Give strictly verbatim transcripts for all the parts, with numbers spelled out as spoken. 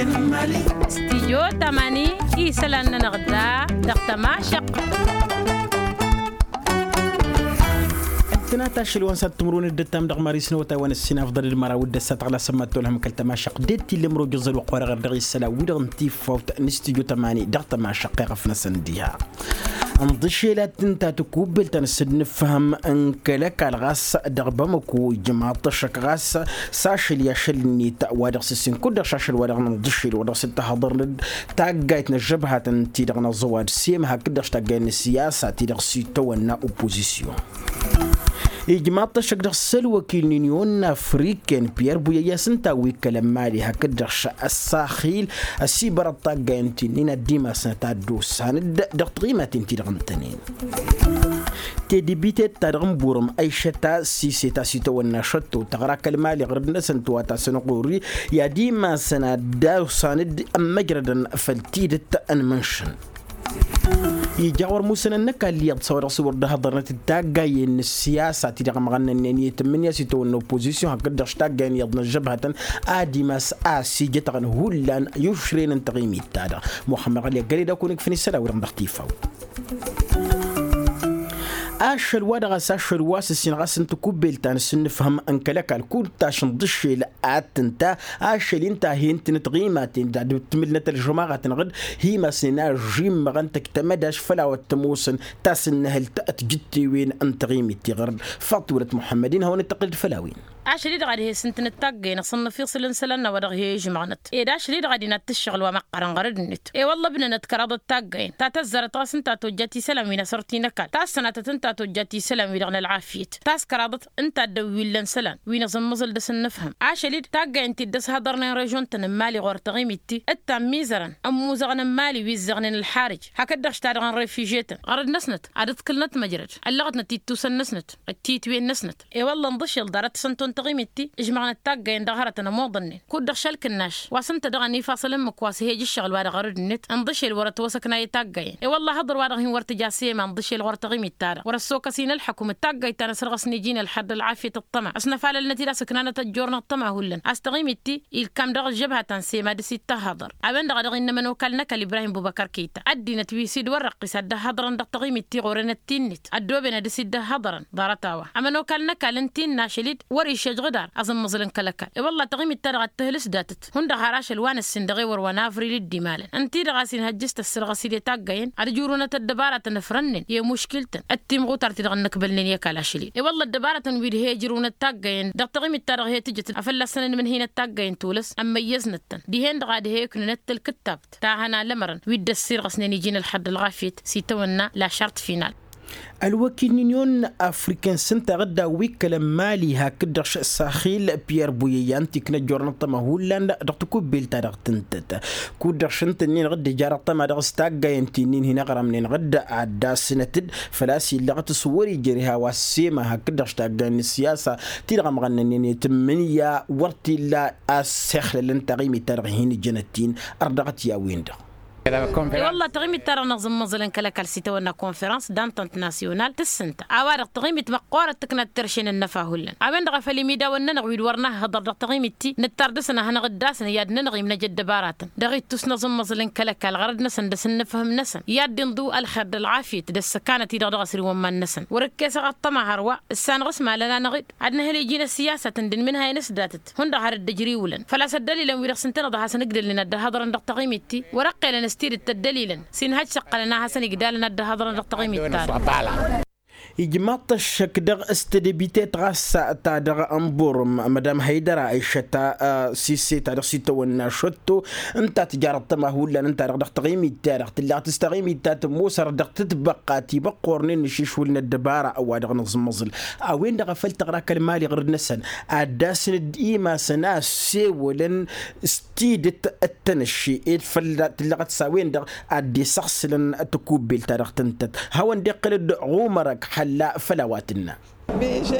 Studyo tamani, isălan-nănăɣ da dăɣ-tămašăqq. Ǝntănat ašăl wa n-sat timǝrwen d-ǝttam dăɣ-mari s-năwătay wa n-ǝssin afḍăl d-măraw d-ăssat ɣǝla sămmat tolhăm kăl-tămašăqq d-e-t-illa ămrojăẓ ălwăqq-wa-dăɣ ărdăɣ isălan-wi-dăɣ n-tifawt n-studyo tamani dăɣ-tămašăqq i-ɣăf-năsăn diha. Ǝnḍǝšel ad-tǝnta tikubbelt ta n-asǝnnǝfhăm n-kăl-ăkall ɣas dăɣ-bamăko ijmaḍ-t ăššăk ɣas s-ašăl i-ašăl-net wa dăɣ-s ǝssin kud-dăɣ šašăl wa dăɣ-nǝnḍǝšel wa dăɣ-s dd-tăhăḍărnăd taggayt n-ăžžăbhatăn-ti-dăɣ n-aẓăwad s-e-măha kǝd-dăɣ s-taggayt n-ăssiyasa-ti-dăɣ s-itawănna opozisyon. Ijmaḍ-t ăššăk dăɣ-s ălwăkil n-inyon afriken piyăr buyăyya s-ǝnta wi kălăn mali hakd-dăɣ š-ăssaxil ăsibărăḍ taggayăn ti-nin ad-dd-imasnăt ad-dd-osanăd dăɣ-tiɣimaten-ti-dăɣ ǝntănen. Tedǝbitet-ta-dăɣ n-burăm ăyšăt a-s iset a-s itawănna šătto tăɣra kăl-mali ɣărăd-năsăn tǝwat-asăn ɣur-i i-ad-imasăn ad-dd-osanăd ămmăjrădăn făll-tidǝt n-imǝnšǝn. Ija wăr musănăn n-ăkall iyyăḍ s-a-wa dăɣ-s wăr dd-hăḍărnăt d-taggayen n-ăssiyasa ti-dăɣ ămɣănnănnen i-tǝmmǝnǝya s-itawănna opozisyon hakd-dăɣ š-taggayen iyyăḍ n-ăžžăbhătăn ad-imas a-s ijătăɣăn hullan i-ušren n-taɣimit-ta-dăɣ muxămmăɣ ălli ăggăled a kunǝgfăn isălan-wi-dăɣ dăɣ-tifaw. Ašăl wa dăɣ-a-s ašăl wa s-ǝssin ɣas n-tikubbelt ta n-asǝnnǝfhăm n-kăl-ăkall kud-taš ǝnḍǝššel ad-tǝnta ašăl-i ǝnta a he-ǝntǝnăt ɣimaten d-ad-ǝtmǝlnăt ălžămaɣăt-năɣ-dd hi-imasnen a ăžžimmăɣăn tăjj tamădaš făll-a-wa t-ămoosăn tasǝnnăhǝlt. Tijǝttewen n-taɣimit tiɣărd faḍt wălăt muḥămmăd-in hawăn-dd-tăqqǝlăd făll-a-wen. Ašăl-i-dăɣ ad-he-s ǝntǝnăt taggayen asǝnnǝf iṣǝl n-isălan n-a-wa dăɣ-he-ǝžmăɣnăt ed ašăl-i-dăɣ ad-inat tǝššăɣǝl wa măqqărăn ɣărăd-net. E-wălla ǝbnănăt kăraḍăt taggayen ta tăzzarăt ɣas ǝnta a tojjat isălan wi n-asărt-i n-ăkall ta s-sănatăt ǝnta a tojjat isălan-wi-dăɣ n-ălɣafyăt ta s-kăraḍăt ǝnta a dd-ăwwillăn isălan wi n-aẓǝmmăẓǝl dăr-s ǝnnǝfhăm. Ašăl-i-dd taggayen ti dd-ăshăḍărnen režon-tăn n-imali ɣur-taɣimit-ti d-tammizărăn ămmuzăɣăn n-imali wi ǝzzăɣnen ălxarǝj hakd-dăɣ š-ta-dăɣ n-refiže-tăn ɣărăd-năsnăt ad-ǝḍkǝlnăt măjrăd ăllăɣătnăt ittusăn-năsnăt d-titwen-năsnăt. E-wălla ǝnḍǝšel ḍarăt s-ănto n-taɣimit-ti ǝžmăɣnăt taggayen dăɣ-hărătăn ămoḍănnen kud-dăɣ šăl-kǝnnaš wa s-ǝnta dăɣ-ănifaṣăl ǝmmǝk wa s-he-ija ǝššăɣǝl-wa-dăɣ ɣărăd-net ǝnḍǝšel wăr-ătwăsăknay i-taggayen. E-wălla hăḍăr-wa-dăɣ hin-wăr tǝja s-ema ǝnḍǝšel ɣur-taɣimit-ta-dăɣ wăr-ăssokăs-in ălḥăkum d-taggayt ta n-asărɣăsnen iji n-ălxăr d-ălɣafyăt ăṭṭăma ăsnăfalălnăt-dd a-s ǝknanăt ăjjornăɣ ăṭṭăma hullan a-s taɣimit-ti ilkam dăɣ-ăžžăbhatăn s-ema dăr-s ittăhhăḍăr. A-wen-dăɣ a dăɣ-innă ămănokal n-ăkall ibrahim bubăkăr kăyta ăddinăt wi s-dd-wărrăqqis ad-dd-ăhhăḍărăn dăɣ-taɣimit-ti ɣur-enăt ti-net ăddooben ad-dăr-s dd-ăhhăḍărăn. Ḍarăt-a-wa ămănokal n-ăkall ǝnti-năšăl-dd wăr-išăjj ɣǝdar aẓǝmmăẓǝl n-kăl-ăkall. E-wălla taɣimit-ta-dăɣ ad-tǝhǝlǝs datăt hundăɣ har ašăl wa n-ǝssin dăɣ-ewăr wa n-avril d-imalăn ǝnti-dăɣ a-s inhăjjǝs tăssărɣăs-dd i-taggayen ad-ǝjrǝwnăt ăddăbarătăn ǝfrănnen i-muškil-tăn d-timɣutar-ti-dăɣ ănnăkbălnen i-ăkall ašăl-in. E-wălla ăddăbarătăn wi d-he-ǝjrǝwnăt taggayen dăɣ-taɣimit-ta-dăɣ he-tǝjǝt a fălla-săn ănmǝnhinăt taggayen tulǝs ămmăyyăznăt-tăn dihen-dăɣ a d-he-ǝknǝnăt tălkǝttab ta hăn alămărăn wi dd-ăssirɣăsnen iji n-ălxăr d-ălɣafyăt s-itawănna lašart final. Ălwăkil n-inyon afriken s-ǝnta ɣǝdda wi ǝkkălăn mali hakd-dăɣ š-saxil piyăr buyăyya ǝnta ikna ăjjoorăn ăṭṭăma hullan dăɣ-tikubbelt-ta-dăɣ tǝntăt kud-dăɣ š-ǝnta-nin ɣǝdda ija dăɣ-ăṭṭăma dăɣ-s taggayen ti-nin hin-ăɣrămnen ɣǝdda ad-dd-asnăt-dd făl-a-s illăɣăt s-wăr-ijrǝha wa s-ema hakd-dăɣ š-taggayen n-ăssiyasa ti-dăɣ ămɣănnănen i-tǝmmǝnǝya wăr t-illa a-s ixlălăn taɣimit-ta-dăɣ hin-ǝjjănăt-in. Ărdăɣăt i-a-wen-dăɣ. E-wălla taɣimit-ta-dăɣ n-aẓǝmmăẓǝl n-kăl-ăkall s-itawănna konferăns d-antănt nasyonal tǝssǝnta a-wa-dăɣ taɣimit măqqoorăt tǝknat terše n-ănnăfa hullan. A-wen-dăɣ a făl imidawăn-nănăɣ wi d-wăr nahhăḍăr dăɣ-taɣimit-ti nǝttar dăr-săn ad-hanăɣ-dd-asnăy i-ad-nănăɣ imnăj ăddăbaratăn dăɣ-ittus n-aẓǝmmăẓǝl n-kăl-ăkall ɣărăd-năsăn d-asǝnnǝfhǝm-năsăn i-ad-dd-inḍǝw ălxer d-ălɣafyăt d-ăssăkanăt-i-dăɣ dăɣ-asrǝwăn iman-năsăn. Wăr-ǝkkesăɣ ăṭṭăma hărwa ǝssanăɣ s-malăn-anăɣ-dd ad-nǝhǝl iji n-ăssiyasăt ǝndǝn imǝnhayăn s-datăt hundăɣ har dd-ăjrǝwǝlăn făl-a-s ăddălilăn wi-dăɣ s-ǝntăneḍ a hasăn-ǝgdălnen ad-dd-ăhhăḍărăn dăɣ-taɣimit-ti wăr-ăqqelăn s-tidǝt tăddălilăn s-inhăj s-ăqqălăn a hasăn-igdalăn ad-dd-ăhhăḍărăn dăɣ-taɣimit-ta-dăɣ. Ijmaḍ-t ăššăk dăɣ-s tedăbitet ɣas ta dăɣ-ănburǝm mădam hăydăra ăyšăt a sise ta dăɣ-s itawănna šătto ǝnta tǝjarăḍ tăma hullan ǝnta-dăɣ dăɣ-taɣimit-ta-dăɣ tǝllaɣ-t s-taɣimit ta tămoosărăt dăɣ-tǝtbăqqa ti băqqornen n-ašišwǝl n-ăddăbara ăwadăɣ n-aẓǝmmăẓǝl. A-wen-dăɣ a făl tăɣra kăl-mali ɣărăd-năsăn ad-dd-asnăd imasăn a ăssewălăn s-tidǝt d-tănăšše ed fălla tǝllăɣăt s-a-wen-dăɣ ad-dd-isăɣsǝlăn tikubbelt-ta-dăɣ tǝntăt. Hawăn-dd-iqqǝl-dd ɣumăr ăgg xălla făll-a-wa tǝnna.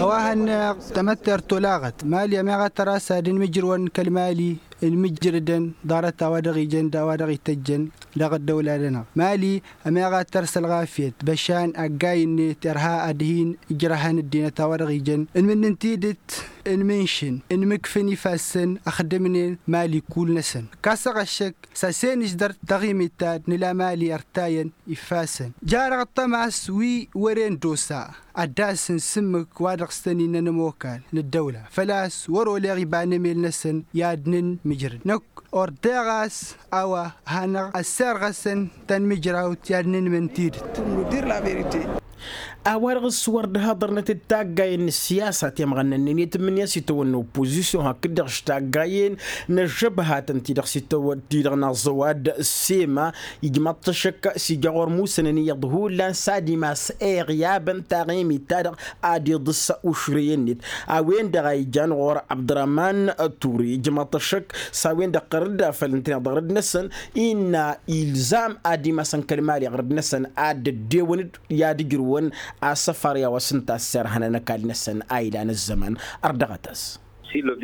A-wa hănneɣ tamăttert olaɣăt mali ămeɣ ad-tăr-as ad-ǝnmǝjrǝwăn kăl-mali ǝnmǝjrǝdăn ḍarăt a-wa dăɣ-ijăn d-a-wa dăɣ-ităjjăn dăɣ-ăddăwla-dănăɣ mali ămeɣ ad-tăr s-ălɣafyăt băšan ăggayn-net irha ad-hin-ǝjrăhăn ăddinăt a-wa dăɣ-ijăn ǝnmǝnǝn tidǝt. n-imǝnšǝn n-imǝkfǝn ifassăn ăxdǝmnen mali kull-năsăn. Ǝkkasăɣ ăššăk s-asenǝždăr taɣimit ta d-nǝla mali ărtayăn ifassăn. Jarăɣ ăṭṭămas wi wăren d-osa ad-dd-asǝn s-ǝmmǝk wa dăɣ-s tăn-innăn ămokal n-ăddăwla făl-a-s wăr-oleɣ iba n-emel-năsăn i-ad-nǝnmǝjrǝd năkk. Ordeɣ a-s a-wa hanăɣ-ăsserɣăsăn tanmǝjrawt i-ad-nǝnmǝn tidǝt. A-wa-dăɣ s-wăr dd-haḍărnăt d-taggayen n-ăssiyasa temɣănnănnen i-tǝmmǝnǝya s-itawănna oppozisyon hakd-dăɣ s-taggayen n-ăžžăbhatăn ti-dăɣ s-itawănna ti-dăɣ n-aẓăwad s-ema. Ijmaḍ-t ăššăk s-ija ɣur-musănăn iyyăḍ hullan s-ad-imas eɣyabăn taɣimit-ta-dăɣ ad-iḍǝs ušrăy-net. A-wen-dăɣ a ijan ɣur-abdărăman ture ijmaḍ-t ăššăk s-a-wen-dăɣ ɣărădd afăl ǝntăneḍ ɣărădd-năsăn innă ilzam ad-imasăn kăl-mali ɣărădd-năsăn ad-dd-ewăn-dd i-ad-ǝjrǝwăn asăfar i-a-wa s-ǝnta a ăssirhănăn ăkall-năsăn a ilan ăzzăman. Ărdăɣăt-as.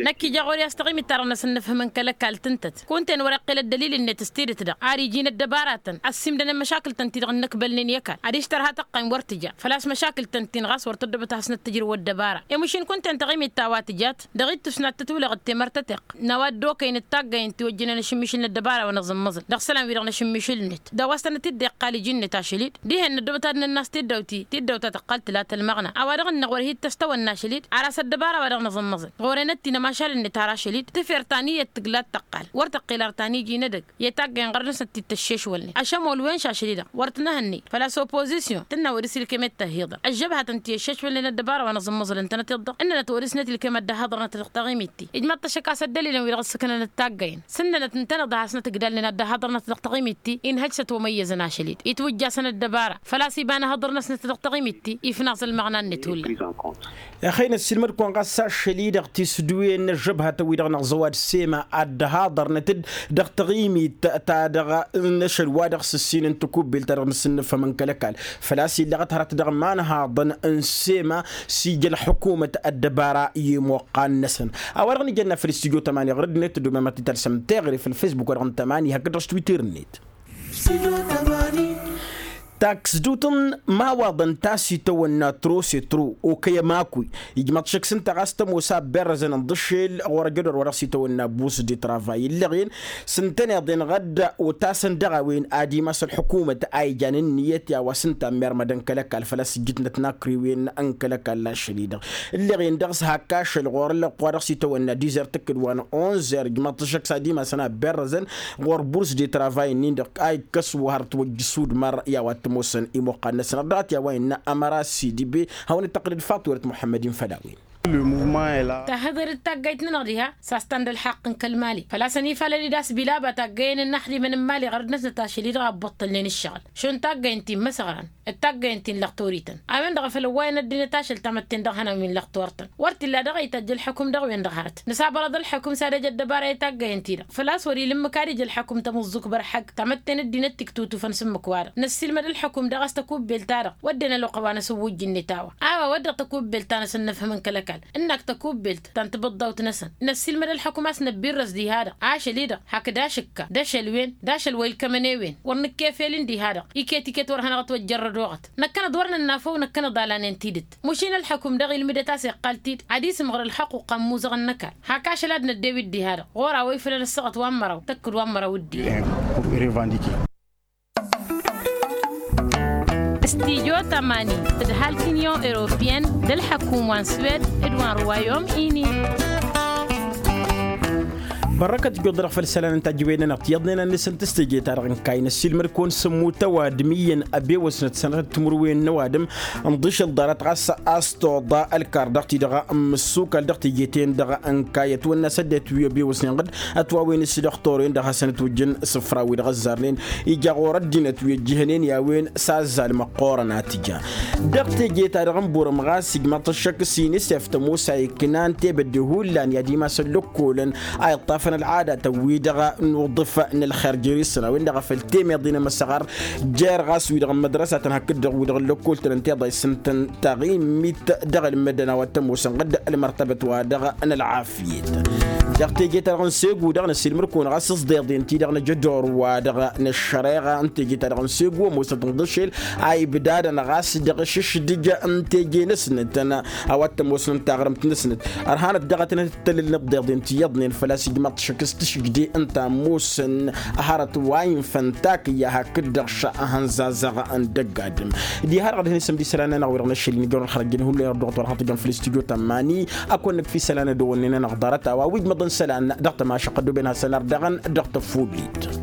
Năkk ija ɣur-i a-s taɣimit-ta-dăɣ n-asǝnnǝfhǝmăn kăl-ăkall tǝntăt kunta-en wăr-iqqǝl ăddălil-net s-tidǝt-dăɣ ar iji n-ăddăbaratăn ăssiimdănăn măšakǝl-tăn-ti-dăɣ ǝnnăkbălnen i-ăkall ad-ištărha tăqqayǝm wăr tǝja făl-a-s măšakǝl-tăn-tin ɣas wăr tăddobăt ad-hasnăt-tǝjrǝw ăddăbara. I-măšin kunta-en taɣimit ta wa tǝjat dăɣ-ittus n-ad-tătwǝlăɣ d-temărt ăteqq n-a-wa dd-okăyăn d-taggayen ti ojjănen ašǝmmišǝl n-ăddăbara wa năẓǝmmăẓǝl dăɣ-isălan-wi-dăɣ n-ašǝmmišǝl-net. Dăɣ-wa s-tănăt-dd-iqqal iji-net ašăl-dd dihen năddobăt ad-nănnas tiddawt-i tiddawt ta tăqqal tǝla tălmăɣna a-wa dăɣ-innăɣ wăr hi-tăstăwănna ašăl-dd ar a-s ăddăbara wa dăɣ-năẓǝmmăẓǝl ɣur-enăt-in ămašal-net har ašăl-dd tǝfer ta n-iyyăt tǝgla d-tăqqal wăr tăqqel ar ta n-iji n-edăgg i-taggayen ɣărăd-năsăn t-dd-tăššešwălnen ašămol wen š-ašăl-i-dăɣ wăr t-nǝhǝnnǝy. Făl-a-s oppozisyon tǝnna wăr-s ilkem i-tăhiḍăr ăžžăbhatăn ti ăššešwălnen ăddăbara wa năẓǝmmăẓǝl ǝntănăt iḍḍăɣ ǝnnănăt wăr-s net ilkem ad-dd-ăhhăḍărnăt dăɣ-taɣimit-ti. Ijmaḍ-t ăššăk a-s ăddălilăn wi-dăɣ ǝssǝknănăt taggayen s-ǝnnănăt ǝntăneḍ a hasnăt-ǝgdalnen ad-dd-ăhhăḍărnăt dăɣ-taɣimit-ti. Inhăj s-ătwămăyyăzăn ašăl-dd itwǝjjasăn ăddăbara făl-a-s iba n-ehăḍărnăsnăt dăɣ-taɣimit-ti ifnaẓ ălmăɣna-net hullan. Ăxăyăn ăssiilmăd-kăwăn ɣas ašăl-i-dăɣ tisǝdduwen n-ăžžăbhatăn-wi-dăɣ n-aẓăwad s-ema ad-dd-haḍărnăt-dd dăɣ-taɣimit-ta-dăɣ n-ašăl wa dăɣ-s ǝssin n-takubbelt-ta-dăɣ n-asǝnnǝfhăm n-kăl-ăkall. Făl-a-s illăɣăt hărăt dăɣ-imanhaḍăn n-sema s-ija ălḥukumăt ăddăbara i-imoqqan-năsăn. A-wa-dăɣ n-ijănna făll-studyo tămani ɣur-dd-net tăddomem ad-t-talsăm teɣăre făll-facebook wa dăɣ-n-tămani hakd-dăɣ s-twitter-net. Taksdut n-imawaḍăn ta s-itawănna trosetro okăy ămakuy ijmăḍ šăkk s-ǝnta ɣas tămoos a ăbberrăzăn ǝnḍǝššel ɣur-ăjădor wa dăɣ-s itawănna burs de travay ǝllăɣen s-ǝntăneḍ-en ɣădd otasăn dăɣ-a-wen ad-imas ălḥukumăt a ijan ǝnniyăt i-a-wa s-ǝnta ămmermădăn kăl-ăkall făl-a-s ǝjjǝtnăt n-akriwen n-kăl-ăkall ašăl-i-dăɣ. Ǝllăɣen dăɣ-s hak ašăl ɣur-ăllăɣ wa dăɣ-s itawănna dizert tǝkkǝd wa n-onzer ijmăḍ-t šăkk s-ad-imasăn a ăbberrăzăn ɣur-burs de travay-nin-dăɣ a ikkăs wa har ătwăjj s-udmăr i-a-wa t-ămoosăn imuqqan-năsăn ărdăɣăt i-a-wa innă ămăra sidibe. Hawăn-dd-tăqqǝlăd faṭ wăr-ătmuḥămmăd-in făll-a-wen. Tahǝḍer d-taggayt-nănăɣ diha s-a-s ta n-dălḥaqq n-kăl-mali făl-a-s ănifalăl-dd a-s bilaba taggayen n-inaxdimăn n-mali ɣărăd-năsnăt ašăl-i-dăɣ a ăbbuṭṭălnen ǝššăɣǝl šund taggayen ti n-imăsăɣran d-taggayen ti n-lăɣtorităn. A-wen-dăɣ a făl ăwwayăn ăddinăt ašăl tamătte n-dăɣ-ihănan wi n-lăɣtortăn wăr t-illa dăɣ-a ităjj ălḥukǝm dăɣ-wen-dăɣ hărăt nǝsabălăḍ ălḥukǝm s-ad-ăj ăddăbara i-taggayen-ti-dăɣ făl-a-s wăr-ila ǝmmǝk ad-ija ălḥukǝm tămǝẓẓuk bărhăg tamătte n-ăddinăt tiktutufăn s-ǝmmǝk-wa-dăɣ năssiilmăd ălḥukǝm dăɣ-a-s tăkubbelt-ta-dăɣ wădden ăloqq a-wa n-asǝwwǝjj-net a-wa a-wa wădden tăkubbelt ta n-asǝnnǝfhǝm n-kăl-ăkall ǝnnak tăkubbelt ta n-tibǝḍḍawt-năsăn năssiilmăd ălḥukǝm a-s năbbirrăs diha-dăɣ ašăl-i-dăɣ hakd ašǝkka d-ašăl-wen d-ašăl wa ilkămăn i-wen wăr nǝkkefelin diha-dăɣ iket iket wăr hanăɣ-ătwăjjărrăd oɣăt. Năkkănăḍ wăr nănna făw năkkănăḍ alanen tidǝt. Măšin ălḥukǝm-dăɣ ilmǝdăt a-s iqqal-t-dd ad-isǝmɣăr ălxăqquqa n-imuzăɣăn n-ăkall hak ašăl ad-năddew-dd diha-dăɣ ɣur-a-wa ifălăn ăssaɣăt wa n-măraw tăkk d-wa n-măraw d-dd-iyyăn. Studyo tămani tǝdhal kǝnyon europiyăn d-ălḥăkum wa n-swed d-wa n-ruwayom ini. Bărrăkăt ǝjjoḍ-dăɣ făll-isălan n-tajǝwen-nănăɣ tiyyăḍnen ad-nǝsǝnt s-teje-ta-dăɣ n-kayy năssiilmăd-kăwăn s-ămmut ăwadǝm iyyăn ăbewăsnăt sănatăt timǝrwen n-ăwadǝm ǝnḍǝšǝl ḍarăt ɣas a-s toḍa ălkar dăɣ-ti-dăɣ n-imǝssukal dăɣ-teje-ten-dăɣ n-kayy ătwănna s-ăddinăt wi ăbewăsnen ɣǝd ătwawăn s-dăɣ-toren-dăɣ hasăn-ătwǝjjǝn isǝfra-wi-dăɣ ăzzarnen ija ɣur-ăddinăt wi ăjjǝhnen i-a-wen s-azzal măqqoorăn a tǝja. Dăɣ-teje-ta-dăɣ n-burăm ɣas ijmăḍ-t ăššăk s-inisef tămoos a iknan tebădde hullan i-ad-imasăn lăkkolăn a iṭṭafăn ălɣadatăn-wi-dăɣ n-uḍǝf n-ălxer jer-isăn a-wen-dăɣ a făl temeḍe n-emăsăɣar jer-ɣas wi-dăɣ n-mădrăsatăn hakd-dăɣ wi-dăɣ n-lăkkol-tăn ǝnta iḍa isǝntăn taɣimit dăɣ-ălmăddăn a-wa t-ămoosăn ɣǝd ălmărtăbăt-wa-dăɣ n-ălɣafyet. Dăɣ-teje-ta-dăɣ n-segu dăɣ-năssiilmăr-kăwăn ɣas s-deḍe ǝnta-i-dăɣ năj ădor wa dăɣ-năššăreɣa n-teje-ta-dăɣ n-segu ămoosăt ǝnḍǝšel a ibdadăn ɣas dăɣ-ašǝšdǝj n-teje-năsnăt a-wa t-ămoosăn taɣrǝmt-năsnăt. Ărhanăt daɣ a tăn-ătăllălnăt deḍen ti iyyăḍnen făl-a-s ijmaḍ-t šăkk s-tašǝgde ǝnta ămoosăn hărăt wa infăn takǝyya hakd-dăɣ šăhăn zazăɣ n-dăgg-adǝm. Diha-dăɣ ad-hin-isǝm d-isălan-nănăɣ wi-dăɣ n-ašăl-in ijărăn xărăjjăn hullan irduɣăt wa dăɣ-tăn-tǝjăn făll-istudyo tămmani. Ad-kăwăn-nǝkf isălan ad-ăwwănnen-anăɣ ḍarăt a-wa wi dd-măḍăn isălan dăɣ-tămašăq ăddooben hassan-ar daɣăn dăɣ-tăfullit.